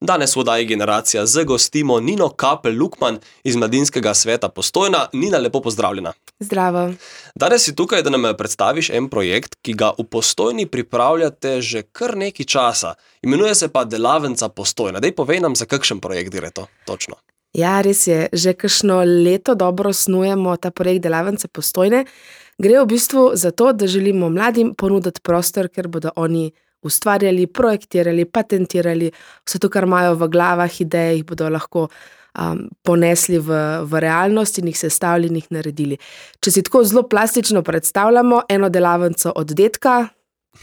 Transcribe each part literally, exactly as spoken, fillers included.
Danes v oddaji Generacija Z gostimo Nino Kapelj-Lukman iz Mladinskega sveta Postojna. Nina, lepo pozdravljena. Zdravo. Danes si tukaj, da nam predstaviš en projekt, ki ga v Postojni pripravljate že kar nekaj časa. Imenuje se pa Delavnica Postojna. Dej povej nam, za kakšen projekt gre to točno. Ja, res je. Že kakšno leto dobro snujemo ta projekt Delavnice Postojne. Gre v bistvu za to, da želimo mladim ponuditi prostor, ker bodo oni ustvarjali, projektirali, patentirali, vse to, kar imajo v glavah, ideje, jih bodo lahko um, ponesli v, v realnost in jih sestavili in jih naredili. Če si tako zelo plastično predstavljamo eno delavnico od dedka,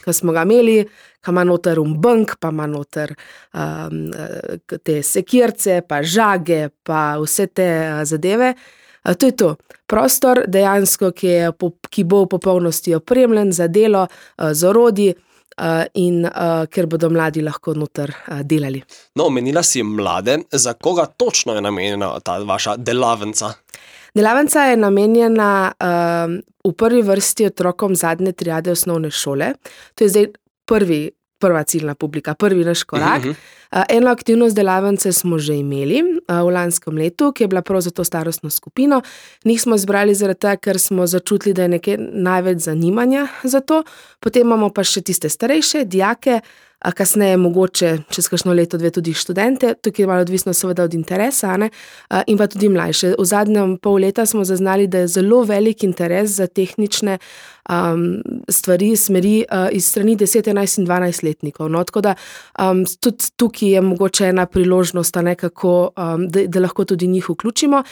ki smo ga imeli, ki ima noter umbank, pa ima noter um, te sekirce, pa žage, pa vse te zadeve. To je to. Prostor dejansko, ki, je, ki bo v popolnosti opremljen za delo, z orodji in ker bodo mladi lahko noter delali. No, omenila si mlade. Za koga točno je namenjena ta vaša delavnica? Delavnica je namenjena um, v prvi vrsti otrokom zadnje triade osnovne šole. To je zdaj prvi, prva ciljna publika, prvi naš korak. Uh-huh. Uh, eno aktivnost delavnice smo že imeli uh, v lanskem letu, ki je bila prav za to starostno skupino. Njih smo izbrali zaradi tega, ker smo začutili, da je nekaj največ zanimanja za to. Potem imamo pa še tiste starejše, dijake, a kasneje mogoče čez kakšno leto, dve tudi študente, tukaj je malo odvisno seveda od interesa, ne? In pa tudi mlajše. V zadnjem pol leta smo zaznali, da je zelo velik interes za tehnične um, stvari, smeri uh, iz strani deset, enajst in dvanajst letnikov. No? Tako da um, tudi tukaj je mogoče ena priložnost, nekako, um, da, da lahko tudi njih vključimo.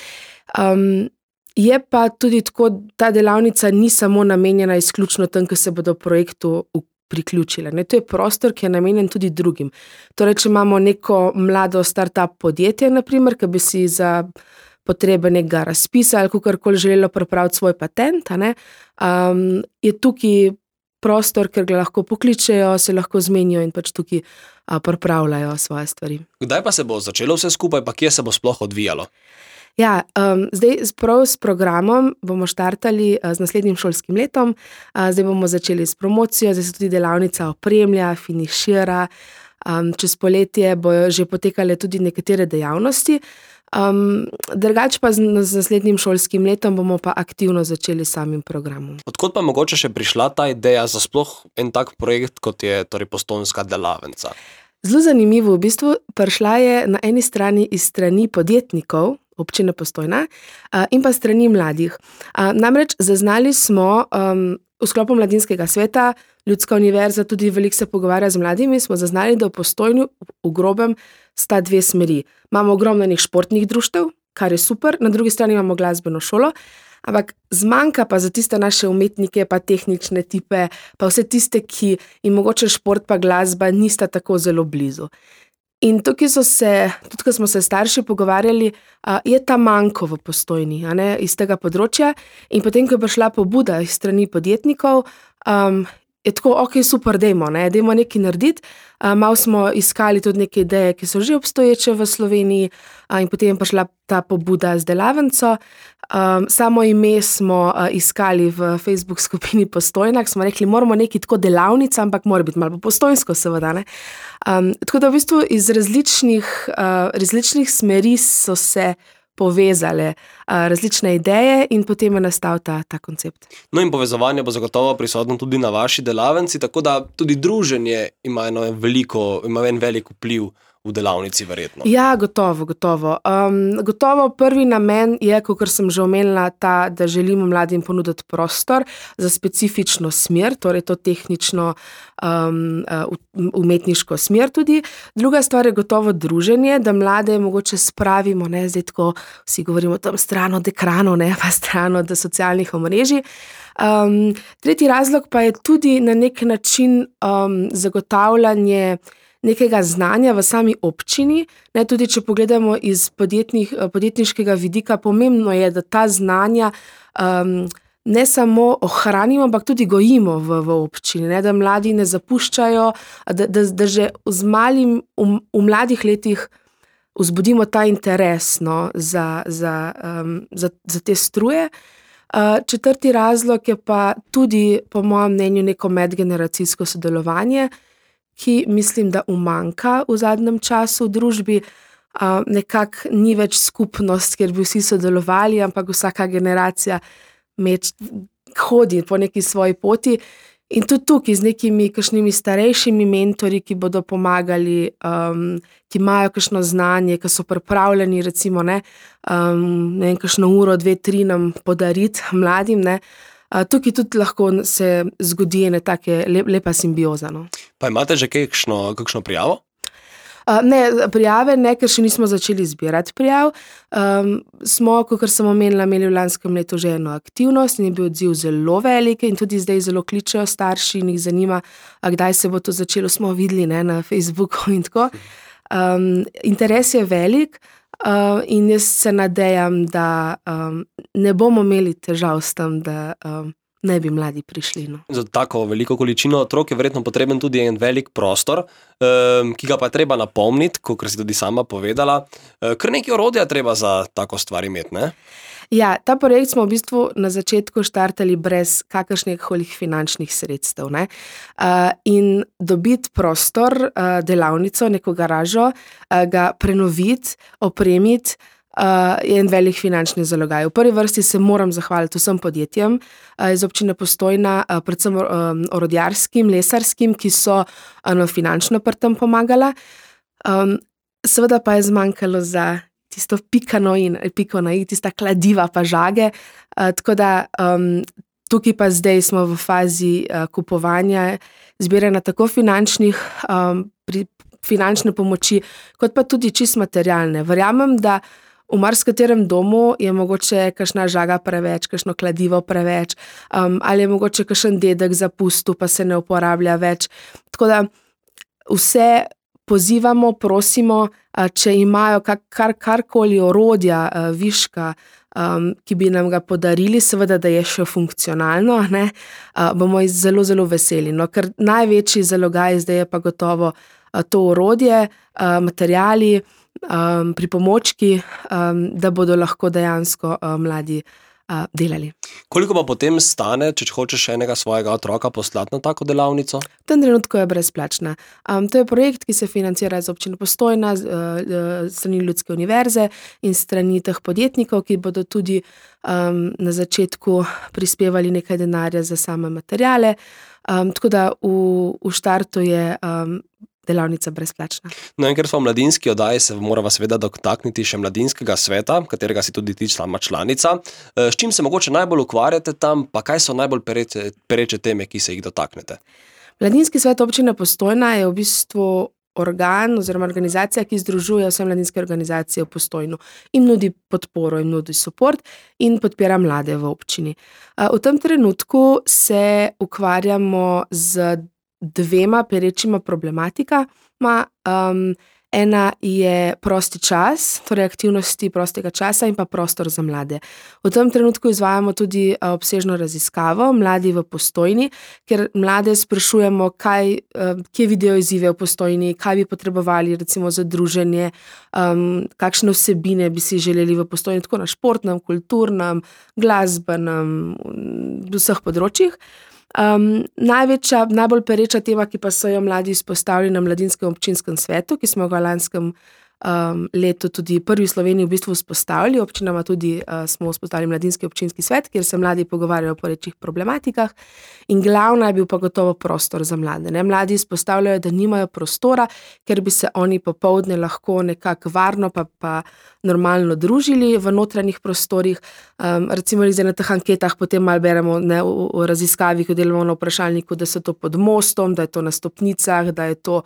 Um, je pa tudi tako, ta delavnica ni samo namenjena izključno tem, ki se bodo projektu vključili, priključile. Ne, to je prostor, ki je namenjen tudi drugim. Torej, če imamo neko mlado start-up podjetje, naprimer, ki bi si za potrebe nekega razpisa ali kakorkoli želelo pripraviti svoj patent, ne, um, je tukaj prostor, ker ga lahko pokličejo, se lahko zmenijo in pač tukaj a, pripravljajo svoje stvari. Kdaj pa se bo začelo vse skupaj, pa kje se bo sploh odvijalo? Ja, um, zdaj prav s programom bomo štartali uh, z naslednjim šolskim letom, uh, zdaj bomo začeli s promocijo, zdaj se tudi delavnica opremlja, finišira, um, čez poletje bojo že potekale tudi nekatere dejavnosti, um, drugače pa z, z naslednjim šolskim letom bomo pa aktivno začeli s samim programom. Odkot pa mogoče še prišla ta ideja za sploh en tak projekt, kot je torej Postojnska delavnica? Zelo zanimivo, v bistvu prišla je na eni strani iz strani podjetnikov, občine Postojna, in pa strani mladih. Namreč zaznali smo um, v sklopu Mladinskega sveta, Ljudska univerza tudi veliko se pogovarja z mladimi, smo zaznali, da v Postojni v grobem sta dve smeri. Imamo ogromno enih športnih društev, kar je super, na drugi strani imamo glasbeno šolo, ampak zmanjka pa za tiste naše umetnike, pa tehnične tipe, pa vse tiste, ki jim mogoče šport pa glasba nista tako zelo blizu. In tukaj so se, tudi ko smo se starši pogovarjali, uh, je ta manjko v Postojni, a ne, iz tega področja. In potem, ko je prišla pobuda iz strani podjetnikov, um, je tako, ok, super, dejmo, ne, dejmo nekaj narediti. Uh, malo smo iskali tudi neke ideje, ki so že obstoječe v Sloveniji, uh, in potem je prišla ta pobuda z delavnico. Um, samo ime smo uh, iskali v Facebook skupini Postojna, smo rekli, moramo nekaj tako delavnica, ampak mora biti malo postojnsko, seveda, ne. Um, tako da v bistvu iz različnih, uh, različnih smeri so se povezale uh, različne ideje in potem je nastal ta, ta koncept. No in povezovanje bo zagotovo prisotno tudi na vaši delavnici, tako da tudi druženje ima eno veliko, ima en velik vpliv v delavnici verjetno. Ja, gotovo, gotovo. Um, gotovo prvi namen je, kakor sem že omenila, ta, da želimo mladim ponuditi prostor za specifično smer, torej to tehnično um, umetniško smer tudi. Druga stvar je gotovo druženje, da mlade mogoče spravimo, ne, zdaj tako vsi govorimo tam stran od ekranov, ne, pa stran od socialnih omrežij. Um, tretji razlog pa je tudi na nek način um, zagotavljanje nekega znanja v sami občini, ne, tudi če pogledamo iz podjetniškega vidika, pomembno je, da ta znanja um, ne samo ohranimo, ampak tudi gojimo v, v občini, ne, da mladi ne zapuščajo, da, da, da že z malim, v, v mladih letih vzbudimo ta interes, no, za, za, um, za, za te struje. Uh, četrti razlog je pa tudi, po mojem mnenju, neko medgeneracijsko sodelovanje, ki mislim, da umanjka v zadnjem času v družbi. Uh, nekako ni več skupnost, kjer bi vsi sodelovali, ampak vsaka generacija meč, hodi po neki svoji poti. In tudi tukaj z nekimi kakšnimi starejšimi mentori, ki bodo pomagali, um, ki imajo kakšno znanje, ki so pripravljeni, recimo, ne, um, ne vem, kakšno uro, dve, tri nam podariti mladim, ne. Uh, tukaj tudi lahko se zgodi ena take lep, lepa simbioza. No. Pa imate že kakšno, kakšno prijavo? Uh, ne, prijave ne, ker še nismo začeli zbirati prijav. Um, smo, kakor sem omenila, imeli v lanskem letu že eno aktivnost in je bil odziv zelo velik in tudi zdaj zelo kličejo starši in jih zanima, kdaj se bo to začelo, smo videli, ne, na Facebooku in tako. Um, interes je velik uh, in jaz se nadejam, da um, ne bomo imeli težav s tem, da um, ne bi mladi prišli. No. Za tako veliko količino otrok je verjetno potreben tudi en velik prostor, um, ki ga pa je treba napolniti, kot si tudi sama povedala. Uh, kar nekaj orodja treba za tako stvar imeti, ne? Ja, ta projekt smo v bistvu na začetku štartali brez kakršnih finančnih sredstev. Ne? Uh, in dobiti prostor, uh, delavnico, neko garažo, uh, ga prenoviti, opremiti, Uh, je en velik finančni zalogaj. V prvi vrsti se moram zahvaliti vsem podjetjem uh, iz občine Postojna, uh, predvsem um, orodjarskim, lesarskim, ki so uh, finančno pri tem pomagala. Um, seveda pa je zmanjkalo za tisto pikano in piko na i, tista kladiva pa žage. Uh, tako da um, tukaj pa zdaj smo v fazi uh, kupovanja, zbiranja tako finančnih um, pri, finančne pomoči, kot pa tudi čist materialne. Verjamem, da v marsikaterem domu je mogoče kakšna žaga preveč, kakšno kladivo preveč, um, ali je mogoče kakšen dedek zapustil, pa se ne uporablja več. Tako da vse pozivamo, prosimo, uh, če imajo kar, kar, karkoli orodja, uh, viška, um, ki bi nam ga podarili, seveda, da je še funkcionalno, ne, uh, bomo zelo, zelo veseli. No, ker največji zalogaj zdaj je pa gotovo uh, to orodje, uh, materiali, Um, pripomočki, um, da bodo lahko dejansko um, mladi uh, delali. Koliko pa potem stane, če hočeš enega svojega otroka poslati na tako delavnico? V tem trenutku je brezplačna. Um, to je projekt, ki se financira iz občine Postojna, z uh, strani Ljudske univerze in strani teh podjetnikov, ki bodo tudi um, na začetku prispevali nekaj denarja za same materiale. Um, tako da v, v štartu je um, delavnica brezplačna. No in ker smo v mladinski oddaji, se morava seveda dotakniti še mladinskega sveta, katerega si tudi ti sama članica. S čim se mogoče najbolj ukvarjate tam, pa kaj so najbolj pereče, pereče teme, ki se jih dotaknete? Mladinski svet občine Postojna je v bistvu organ oziroma organizacija, ki združuje vse mladinske organizacije v Postojnu in nudi podporo in nudi support in podpira mlade v občini. V tem trenutku se ukvarjamo z dvema perečima problematikama. Um, ena je prosti čas, torej aktivnosti prostega časa in pa prostor za mlade. V tem trenutku izvajamo tudi obsežno raziskavo Mladi v Postojni, ker mlade sprašujemo, kaj, kje vidijo izzive v Postojni, kaj bi potrebovali recimo za druženje, um, kakšne vsebine bi si želeli v Postojni, tako na športnem, kulturnem, glasbenem, v vseh področjih. Um, največja, najbolj pereča tema, ki pa so jo mladi izpostavili na Mladinskem občinskem svetu, ki smo ga v lanskem um, letu tudi prvi v Sloveniji v bistvu vzpostavili. Občinama tudi uh, smo vzpostavili Mladinski občinski svet, kjer se mladi pogovarjajo o perečih problematikah in glavna je bil pa gotovo prostor za mlade. Ne? Mladi izpostavljajo, da nimajo prostora, ker bi se oni popoldne lahko nekako varno pa, pa normalno družili v notranjih prostorih. Um, recimo zdaj na teh anketah potem malo beremo, ne, v, v raziskavi, ko delamo na vprašalniku, da so to pod mostom, da je to na stopnicah, da je to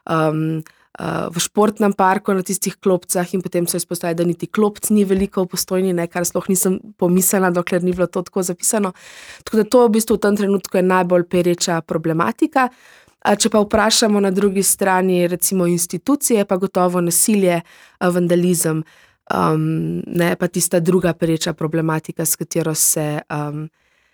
um, uh, v športnem parku na tistih klopcah in potem so izpostavili, da niti klopc ni veliko v Postojni, ne, kar sploh nisem pomislila, dokler ni bilo to tako zapisano. Tako da to v bistvu v tem trenutku je najbolj pereča problematika. Če pa vprašamo na drugi strani recimo institucije, pa gotovo nasilje, vandalizem, um, ne, pa tista druga pereča problematika, s katero se, um,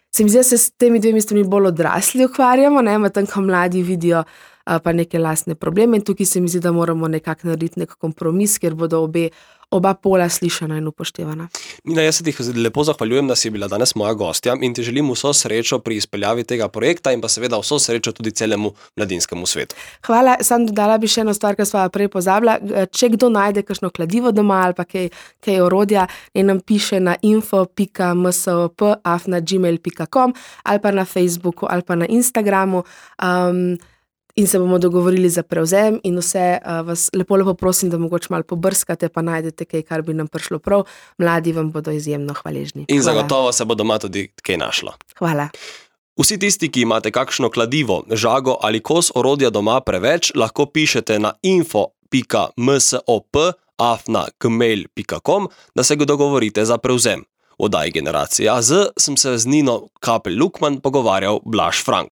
se mi zdi, da se s temi dvemi stvarmi bolj odrasli ukvarjamo, ne, medtem ko mladi vidijo pa neke lastne probleme. In tukaj se mi zdi, da moramo nekako narediti nek kompromis, kjer bodo obe, oba pola slišana in upoštevana. Nina, jaz se ti lepo zahvaljujem, da si bila danes moja gostja in ti želim vso srečo pri izpeljavi tega projekta in pa seveda vso srečo tudi celemu mladinskemu svetu. Hvala, sam dodala bi še eno stvar, kar sva prej pozabila. Če kdo najde kakšno kladivo doma ali pa kaj, kaj orodja, naj nam piše na info pika msop afna gmail pika com ali pa na Facebooku ali pa na Instagramu. Um, In se bomo dogovorili za prevzem in vse uh, vas lepo, lepo prosim, da mogoče malo pobrskate, pa najdete kaj, kar bi nam prišlo prav. Mladi vam bodo izjemno hvaležni. In Hvala. Zagotovo se bo doma tudi kaj našlo. Hvala. Vsi tisti, ki imate kakšno kladivo, žago ali kos orodja doma preveč, lahko pišete na info pika msop afna gmail pika com, da se ga dogovorite za prevzem. V oddaji Generacija Z sem se z Nino Kapelj-Lukman pogovarjal Blaž Frank.